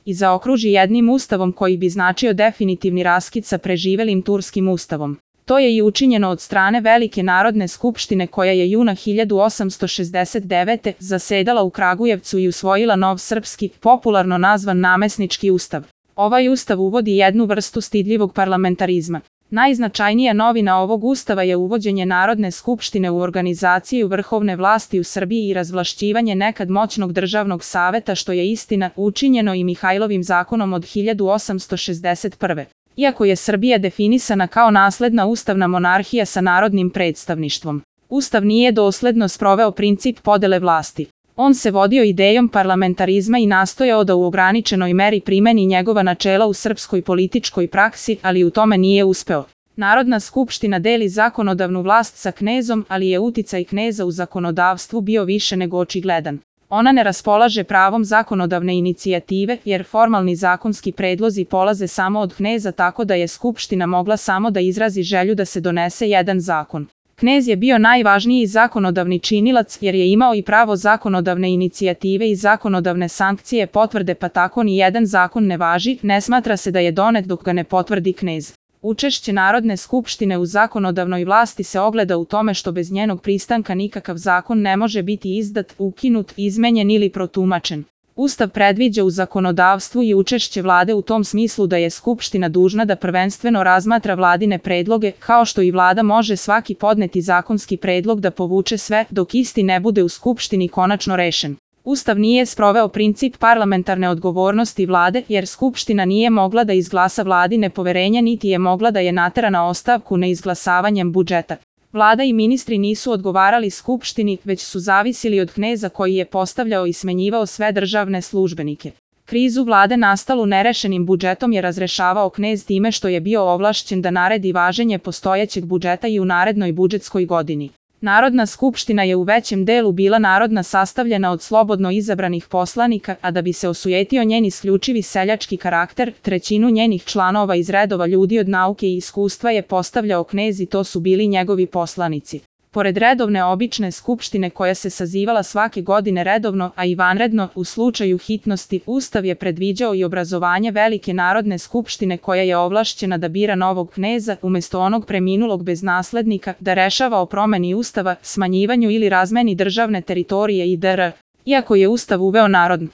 i zaokruži jednim ustavom koji bi značio definitivni raskid sa preživelim turskim ustavom. To je i učinjeno od strane Velike narodne skupštine koja je juna 1869. zasedala u Kragujevcu i usvojila nov srpski, popularno nazvan namesnički ustav. Ovaj ustav uvodi jednu vrstu stidljivog parlamentarizma. Najznačajnija novina ovog ustava je uvođenje Narodne skupštine u organizaciju vrhovne vlasti u Srbiji i razvlašćivanje nekad moćnog državnog saveta, što je istina učinjeno i Mihajlovim zakonom od 1861. Iako je Srbija definisana kao nasledna ustavna monarhija sa narodnim predstavništvom, ustav nije dosledno sproveo princip podele vlasti. On se vodio idejom parlamentarizma i nastojao da u ograničenoj meri primeni njegova načela u srpskoj političkoj praksi, ali u tome nije uspeo. Narodna skupština deli zakonodavnu vlast sa knezom, ali je uticaj kneza u zakonodavstvu bio više nego očigledan. Ona ne raspolaže pravom zakonodavne inicijative, jer formalni zakonski predlozi polaze samo od kneza, tako da je skupština mogla samo da izrazi želju da se donese jedan zakon. Knez je bio najvažniji zakonodavni činilac jer je imao i pravo zakonodavne inicijative i zakonodavne sankcije potvrde, pa tako ni jedan zakon ne važi, ne smatra se da je donet dok ga ne potvrdi knez. Učešće Narodne skupštine u zakonodavnoj vlasti se ogleda u tome što bez njenog pristanka nikakav zakon ne može biti izdat, ukinut, izmenjen ili protumačen. Ustav predviđa u zakonodavstvu i učešće vlade u tom smislu da je skupština dužna da prvenstveno razmatra vladine predloge, kao što i vlada može svaki podneti zakonski predlog da povuče sve, dok isti ne bude u skupštini konačno rešen. Ustav nije sproveo princip parlamentarne odgovornosti vlade, jer skupština nije mogla da izglasa vladi nepoverenja niti je mogla da je natera na ostavku neizglasavanjem budžeta. Vlada i ministri nisu odgovarali skupštini, već su zavisili od kneza koji je postavljao i smenjivao sve državne službenike. Krizu vlade nastalu nerešenim budžetom je razrešavao knez time što je bio ovlašćen da naredi važenje postojećeg budžeta i u narednoj budžetskoj godini. Narodna skupština je u većem delu bila narodna, sastavljena od slobodno izabranih poslanika, a da bi se osujetio njen isključivi seljački karakter, trećinu njenih članova iz redova ljudi od nauke i iskustva je postavljao knez i to su bili njegovi poslanici. Pored redovne obične skupštine koja se sazivala svake godine redovno, a i vanredno, u slučaju hitnosti, Ustav je predviđao i obrazovanje Velike narodne skupštine koja je ovlašćena da bira novog kneza, umesto onog preminulog bez naslednika, da rešava o promeni Ustava, smanjivanju ili razmeni državne teritorije i dr. Iako je Ustav uveo narodnu